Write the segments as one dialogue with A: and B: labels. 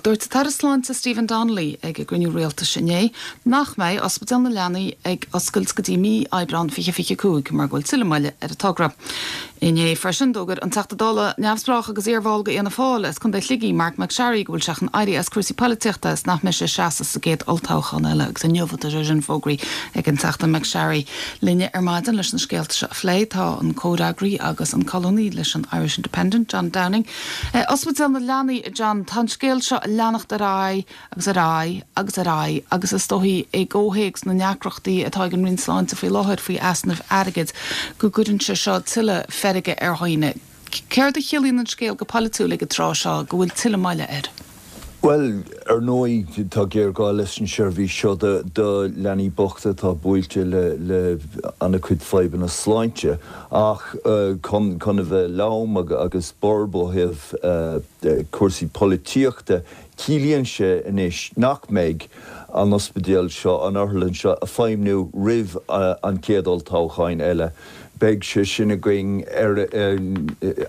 A: Dúirt an tAire Sláinte Stephen Donnelly ag an gcruinniú rialtais inné nach mbeidh Ospidéal na Leanaí ag oscailt go dtí mí Aibreán 2025 mar go bhfuil tuilleadh moille ar an togra. Inné freisin d'fhógair an Teachta Dála neamhspleách agus iarbhall de Fhianna Fáil as Contae Shligigh, Marc MacSharry go bhfuil sé chun éirí as cúrsaí poilitíochta is nach mbeidh sé ag seasamh sa gcéad olltoghchán eile agus inniu atá sé sin fógraithe ag an Teachta MacSharry. Linne ar maidin leis na scéalta seo a phlé tá an comhfhreagraí agus an colúnaí leis an Irish Independent, John Downing. Ospidéal na Leanaí, a John, tá an scéal seo ag leanacht ar aghaidh agus ar aghaidh agus ar aghaidh agus is dóichí i gcomhthéacs na ndeacrachtaí atá ag an Roinn Sláinte faoi láthair faoi easnaimh airgid go gcuireann sé seo tuilleadh feirge ar dhaoine. Céard a chiallaíonn an scéal go polaitiúil ag an tráth seo go bhfuil tuilleadh moille air?
B: Bhuel, ar ndóigh, tá géarghá leis an seirbhís seo do leanaí bochta atá buailte le an-chuid fadhbanna sláinte. Ach chun a bheith lom agus borb ó thaobh cúrsaí polaitíochta, ciallaíonn sé anois nach mbeidh an ospidéal seo, an otharlann seo, ag feidhmniú roimh an chéad olltoghchán eile. Beidh sé sin againn ar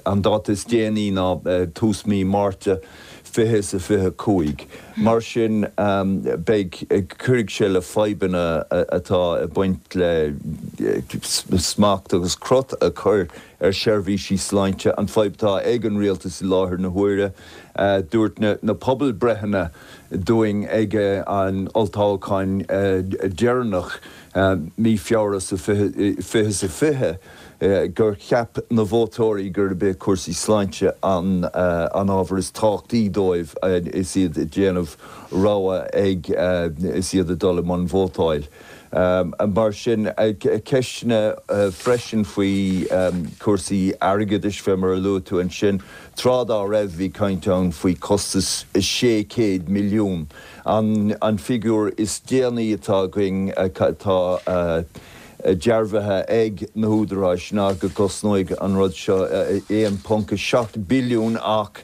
B: an dáta is déanaí ná tús mí Márta. 20 is a 25. Mar sin, beidh, cuirfidh sé le fadhbanna atá ag baint le smacht agus crot a chur ar sheirbhísí sláinte, an fadhb atá ag an rialtas i láthair na huaire. Dúirt na pobalbreitheanna dúinn ag an olltoghchán deireanach, mí Feabhra sa 20 is a 20, gur cheap na vótóirí gurb é cúrsaí sláinte an ábhar is tábhachtaí dóibh is iad ag déanamh rogha ag is iad ag dul i mbun vótáil. Mar sin, ceisteanna freisin faoi chúrsaí airgeadais, fé mar a luaigh tú ansin, tráth dá raibh bhí caint ann faoi chostas 600 milliún. An figiúr is déanaí atá againn atá dearbhaithe ag na húdaráis ná go gcosnóidh an rud seo 1.7 billiún ach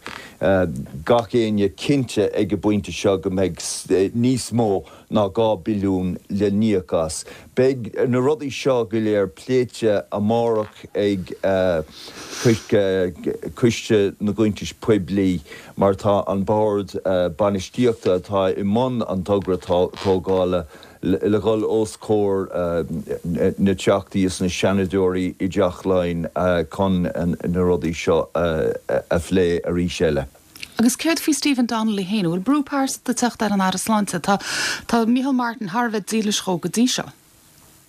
B: gach éinne cinnte ag an bpointe seo go mbeidh níos mó ná 2 billiún le n-íoc as. Beidh na rudaí seo go léir pléite amárach ag Coiste na gCuntas Poiblí mar tá an Bord Bainistíochta atá i mbun an togra tógála le dhul os comhair na dTeachtaí is na Seanadóirí i dTeach Laighean chun na rudaí seo a phlé arís eile.
A: Agus céard faoi Stephen Donnelly féin? An bhfuil brú pearsanta ag teacht ar an Aire Sláinte? Tá tá Micheál Martin thar a bheith dílis dhó go dtí seo.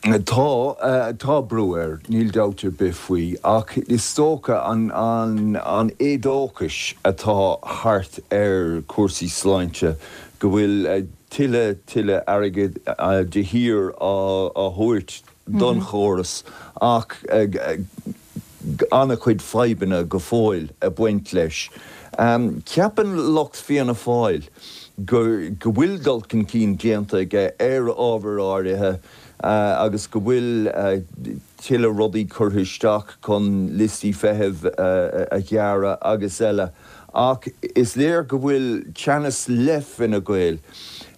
B: Tá, tá brú air, níl dabht ar bith faoi, ach is dócha an an éadóchas atá thart ar chúrsaí sláinte go bhfuil tuilleadh, tuilleadh airgid de shíor á thabhairt don chóras ach an-chuid fadhbanna go fóill ag baint leis. Ceapann lucht Fianna Fáil go bhfuil dul chun cinn déanta aige ar ábhair áirithe agus go bhfuil tuilleadh rudaí curtha isteach chun liostaí feithimh a ghearradh agus eile. Ach is léir go bhfuil teannas le Fine Gael.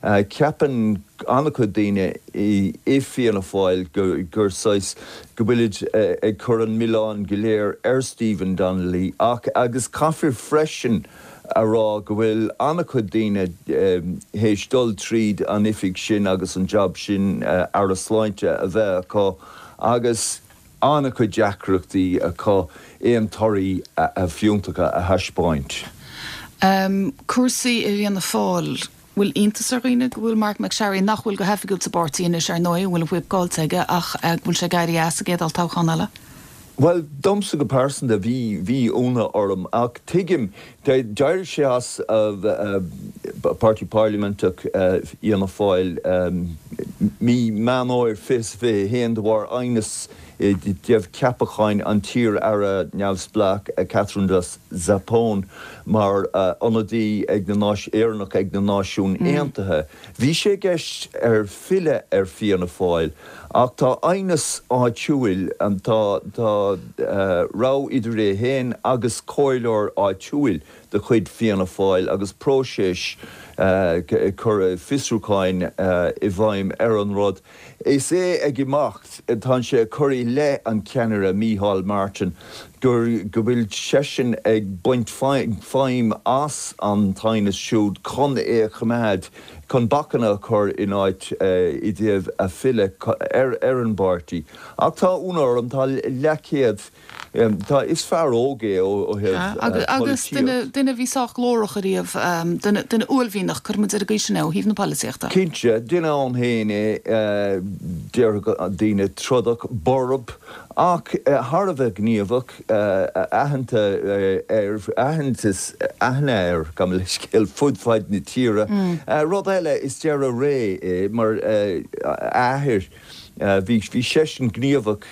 B: Ceapann an-chuid daoine i Fianna Fáil gur saghas, go bhfuilid ag cur an milleán go léir ar Stephen Donnelly ach, agus caithfear freisin a rá go bhfuil an-chuid daoine théis dul tríd an oifig sin agus an jab sin Aire Sláinte a bheith acu agus, an-chuid deacrachtaí acu aon torthaí fiúntacha a thaispeáint.
A: Cúrsaí i bhFianna Fáil, bhfuil iontas ar dhaoine go bhfuil Marc MacSharry, nach bhfuil go hoifigiúil sa bpáirtí anois ar ndóigh, an bhfuil an fuíoll caillte aige, ach go bhfuil sé ag éirí as sa gcéad olltoghchán eile?
B: Bhuel, domsa go pearsanta, bhí, bhí ionadh orm, ach tuigim, d'éirigh sé as Páirtí Pairliminteach Fhianna Fáil mí Meán Fhómhair 2021 de bharr aighneas i dtaobh ceapacháin an t-iar-aire neamhspleách Katherine Zappone mar ionadaí ag na Éireannach ag na Náisiúin Aontaithe. Bhí sé i gceist air filleadh ar Fianna Fáil ach tá aighneas áitiúil, tá rogha idir é féin agus comhairleoir áitiúil de chuid Fianna Fáil agus próiseas cur fiosrúcháin i bhfeidhm ar an rud. Is é ag imeacht, tá sé ag cur i leith an cheannaire Micheál Martin. gur go bhfuil seisean ag baint feidhm as an t-aighneas siúd chun é a choimeád, chun bacanna a chur in áit i dtaobh a filleadh ar ar an bpáirtí. Ach tá ionadh orm, tá leathchéad, tá, is fear óg é ó thaobh
A: Agus
B: polaitíocht.
A: duine a bhí sách glórach ariamh, duine, duine uaillmhianach, cuirfidh muid ar an gcaoi sin é, ó thaobh na polaitíochta.
B: Cinnte, duine ann féin é, déarfadh daoine, trodach, borb. Ach thar a bheith gníomhach, aitheanta air, aitheantas, aithne air, gabh mo leithscéal, fud fad na tíre. Rud eile, is deireadh ré é mar athair. Bhí bhí seisean gníomhach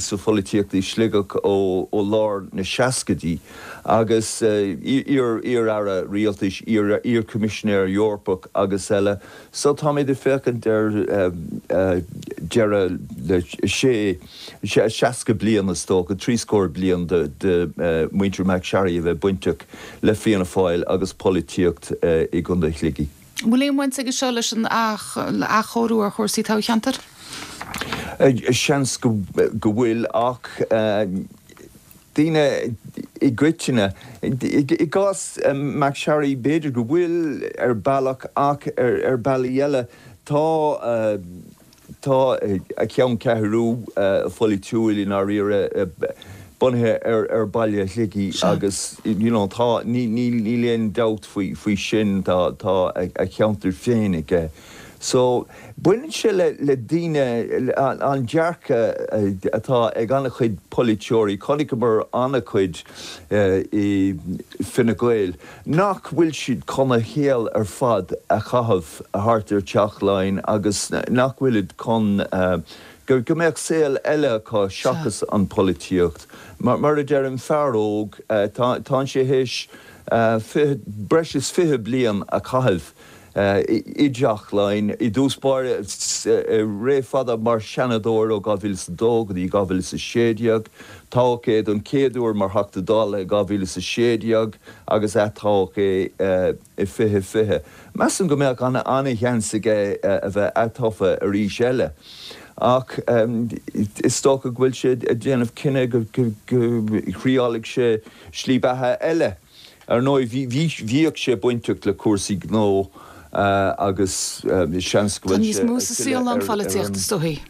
B: sa pholaitíocht i Sligeach ó lár na seascaidí agus iar iar-aire rialtais, iar iar-choimisinéir Eorpach agus eile. So táimid ag féachaint ar deireadh le sé, 60 bliain is dócha, trí scór bliain de mhuintir McSharry a bheith bainteach le Fianna Fáil agus polaitíocht i gContae Shligigh.
A: An bhfuil aon bhaint aige seo leis an athchóiriú ar chúrsaí toghcheantair?
B: Seans go bhfuil ach. daoine i gcoitinne. I gcás McSharry, b'fhéidir go bhfuil ar bealach ach ar bealaí eile tá tá a cheanncheathrú pholaitiúil i ndáiríre bunaithe ar ar baile Shligigh agus you know tá níl aon dabht faoi faoi sin tá tá a cheantar féin aige. So, baineann sé le le daoine, an dearcadh atá ag an-chuid polaiteoirí, chonaiceamar an-chuid i Fine Gael, nach bhfuil siad chun a shaol ar fad a chaitheamh thart ar Teach Laighean agus nach bhfuilid chun go go mbeadh saol eile acu seachas an pholaitíocht. Mar a deirim, fear óg, tá tá sé théis breis is 20 bliain a chaitheamh i dTeach Laighean i dtús báire, ré fada mar Sheanadóir ó 2002 go dtí 2016. Toghadh é don chéad uair mar Theachta Dála i 2016 agus atoghadh é i 2020. Measaim go mbeadh an-sheans aige a bheith atofa arís eile ach is dócha go bhfuil sé ag déanamh cinneadh go dtriálfaidh sé slí beatha eile. Ar ndóigh, bhíodh sé bainteach le cúrsaí gnó agus seans go
A: Tá bhfuil níos sé mó ag sa saol ná an filleadh ar pholaitíocht, an. is dóichí.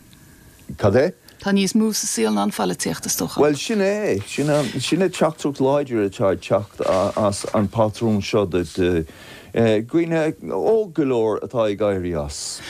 B: Cad é?
A: Tá níos mó sa saol ná an pholaitíocht, is dócha.
B: Bhuel, sin é. Sin sin an teachtaireacht láidir atá ag teacht as an bpatrún seo de dhaoine óg go leor atá ag éirí as.